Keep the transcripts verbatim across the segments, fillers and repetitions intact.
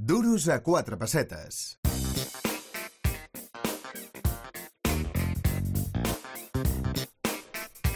Duros a quatre pessetes.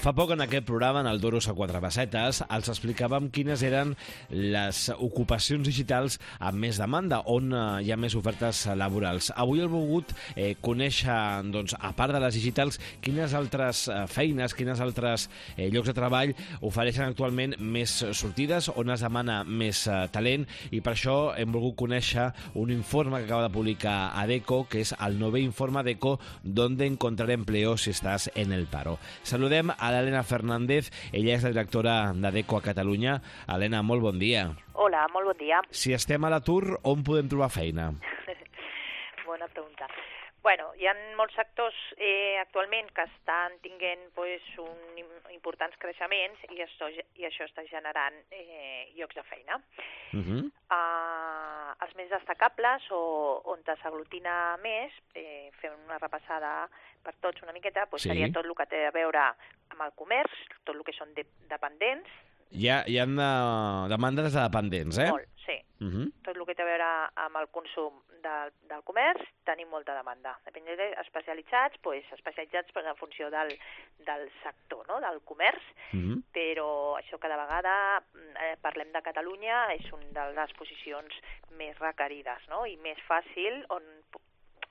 Fa poc en aquest programa, en el Duros a quatre pessetes, els explicàvem quines eren les ocupacions digitals amb més demanda, on eh, hi ha més ofertes laborals. Avui he volgut eh, conèixer, doncs, a part de les digitals, quines altres eh, feines, quines altres eh, llocs de treball ofereixen actualment més sortides, on es demana més eh, talent, i per això hem volgut conèixer un informe que acaba de publicar Adecco, que és el novè informe Adecco, donde encontrar empleo si estàs en el paro. Saludem a l'Helena Fernández, ella és la directora d'Adecco a Catalunya. Helena, molt bon dia. Hola, molt bon dia. Si estem a l'atur, on podem trobar feina? Bona pregunta. Bueno, hi ha molts sectors eh, actualment que estan tinguent pues, un, importants creixements i això, i això està generant eh, llocs de feina. Uh -huh. uh, els més destacables o on s'aglutina més, eh, fent una repassada per tots una miqueta, pues, sí. Seria tot el que té a veure amb el comerç, tot el que són de, dependents. Hi ha, hi ha de, demandes de dependents, eh? Molt, sí. Uh -huh. Tot el que té a veure amb el consum del, del comerç, tenim molta demanda. Depèn de especialitzats, pues, especialitzats en funció del, del sector, no? Del comerç, uh -huh. Però això cada vegada, eh, parlem de Catalunya, és una de les posicions més requerides, no? I més fàcil on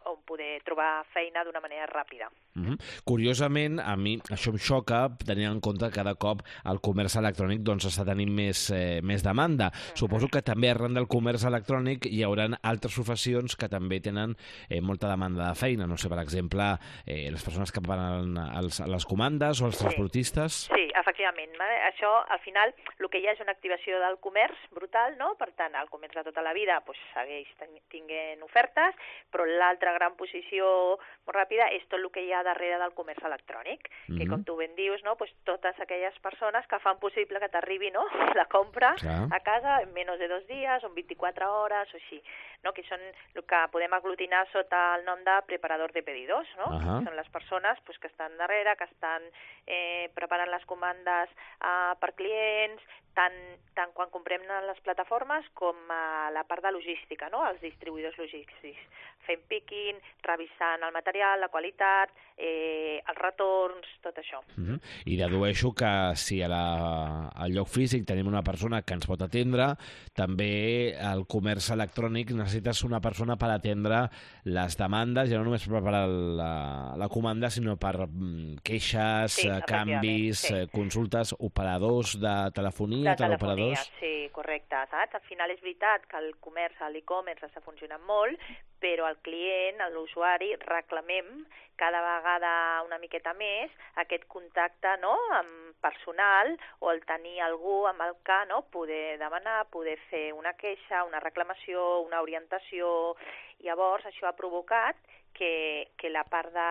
on poder trobar feina d'una manera ràpida. Uh-huh. Curiosament, a mi això em xoca, tenint en compte que cada cop el comerç electrònic doncs, està tenint més, eh, més demanda. Uh-huh. Suposo que també arran del comerç electrònic hi haurà altres professions que també tenen eh, molta demanda de feina. No sé, per exemple, eh, les persones que preparen els, les comandes o els transportistes. Sí, sí, efectivament. Això, al final, el que hi ha és una activació del comerç brutal, no? Per tant, el comerç de tota la vida pues, segueix tinguent ofertes, però l'altra gran posició molt ràpida és tot el que hi ha darrere del comerç electrònic, mm-hmm. que com tu ben dius, no, pues totes aquelles persones que fan possible que t'arribi, no, la compra Clar. a casa en menys de dos dies o en vint-i-quatre hores o així, no, que són el que podem aglutinar sota el nom de preparador de pedidos, no? Uh-huh. Són les persones pues, que estan darrere, que estan eh, preparant les comandes eh, per clients, tant, tant quan comprem a les plataformes com a la part de logística, no? Els distribuïdors logístics, fent picking, revisant el material, la qualitat, eh, els retorns, tot això. Uh-huh. I dedueixo que si a la, al lloc físic tenim una persona que ens pot atendre, també el comerç electrònic necessites una persona per atendre les demandes, ja no només per preparar la, la comanda, sinó per mm, queixes, sí, canvis, sí. consultes, operadors de telefonia, de telefonia, sí, correcte, saps? Al final és veritat que el comerç, l'e-commerce està funcionant molt, però el client, l'usuari, reclamem cada vegada una miqueta més aquest contacte, no?, amb personal o el tenir algú amb el que, no?, poder demanar, poder fer una queixa, una reclamació, una orientació. Llavors, això ha provocat que, que la part de,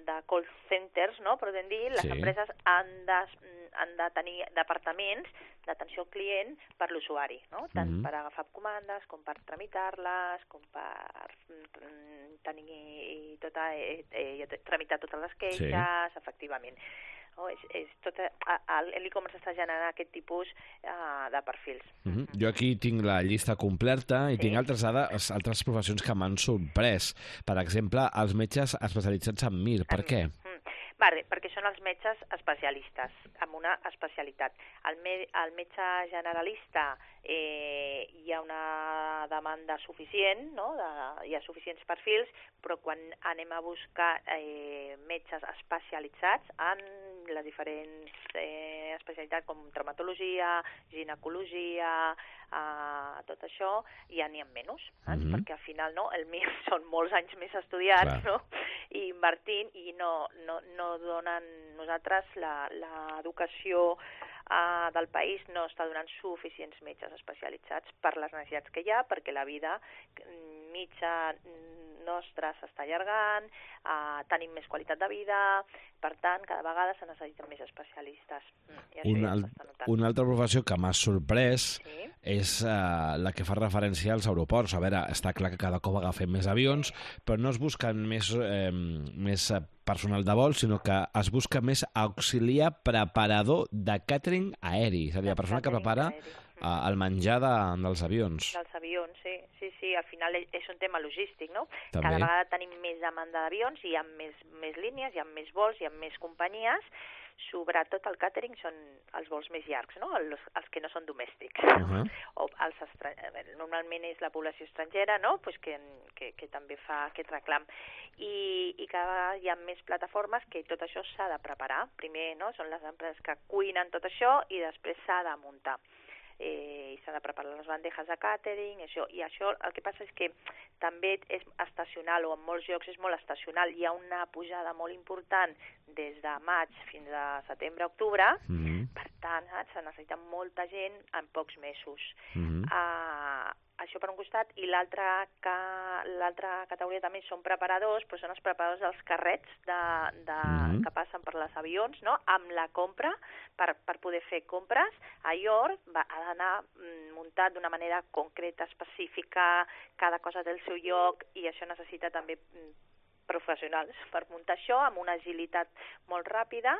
de call centers, no?, podem dir, les sí. empreses han de, han de tenir departaments d'atenció al client per l'usuari, no? Tant mm-hmm. per agafar comandes com per tramitar-les, com per tenir tota, eh, eh, tramitar totes les queixes, sí. efectivament. No, és, és tot, l'e-commerce està generant aquest tipus uh, de perfils. Mm-hmm. Jo aquí tinc la llista completa i sí. tinc altres, dades, altres professions que m'han sorprès. Per exemple, els metges especialitzats en Mir. Per en... què? Mm. Vale, perquè són els metges especialistes, amb una especialitat. El, me, el metge generalista eh, hi ha una demanda suficient, no? de, hi ha suficients perfils, però quan anem a buscar eh, metges especialitzats en les diferents eh, especialitats com traumatologia, ginecologia, eh, tot això, ja n'hi ha menys, eh? mm-hmm. perquè al final no, el M I R són molts anys més estudiats, no? i invertint, i no, no, no donen nosaltres l'educació uh, del país no està donant suficients metges especialitzats per les necessitats que hi ha, perquè la vida mitja nostra s'està allargant, uh, tenim més qualitat de vida, per tant, cada vegada se necessiten més especialistes. I una, ja una altra professió que m'ha sorprès sí? és uh, la que fa referència als aeroports. A veure, està clar que cada cop agafem més avions, però no es busquen més, eh, més personal de vol, sinó que es busca més auxiliar preparador de càtering aeri, és a dir, la persona que prepara uh, el menjar de, dels avions. Dels avions, sí, sí, sí. sí, al final és un tema logístic, no? També. Cada vegada tenim més demanda d'avions, hi ha més, més línies, hi ha més vols, hi ha més companyies, sobretot el càtering són els vols més llargs, no? Els, els que no són domèstics. Uh -huh. O els estra... Normalment és la població estrangera, no? Pues que, que, que també fa aquest reclam. I, i cada vegada hi ha més plataformes que tot això s'ha de preparar. Primer, no? Són les empreses que cuinen tot això i després s'ha de muntar. Eh, i s'ha de preparar les bandejes de càtering, això, i això el que passa és que també és estacional, o en molts llocs és molt estacional. Hi ha una pujada molt important des de maig fins a setembre-octubre, Mm-hmm. per tant, eh, se necessita molta gent en pocs mesos. Mm-hmm. Uh, això per un costat, i l'altra ca... l'altra categoria també són preparadors, però són els preparadors dels carrets de, de... Mm-hmm. que passen per les avions, no? Amb la compra, per, per poder fer compres. Allò va, ha d'anar mm, muntat d'una manera concreta, específica, cada cosa té el seu lloc, i això necessita també mm, professionals per muntar això, amb una agilitat molt ràpida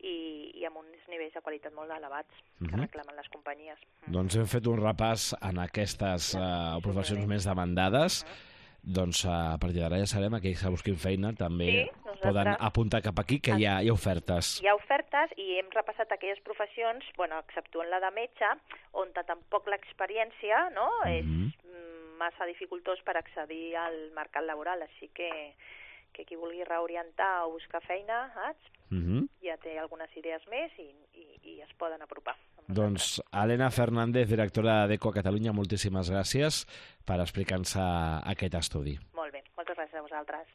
i, i amb uns nivells de qualitat molt elevats que Mm-hmm. reclamen les companyies. Mm. Doncs hem fet un repàs en aquestes uh, professions més demandades. Doncs uh, a partir d'ara ja sabem, aquells que busquin feina també Sí, nosaltres- poden apuntar cap aquí, que hi ha, hi ha ofertes. Hi ha ofertes i hem repassat aquelles professions, bueno, exceptuant la de metge, on tampoc l'experiència, no, és Mhm. mm, massa dificultós per accedir al mercat laboral, així que, que qui vulgui reorientar o buscar feina, saps? Mm-hmm. Ja té algunes idees més i, i, i es poden apropar. amb Doncs Helena Fernández, directora d'Eco a Catalunya, moltíssimes gràcies per explicar-nos aquest estudi. nosaltres. Molt bé, moltes gràcies a vosaltres.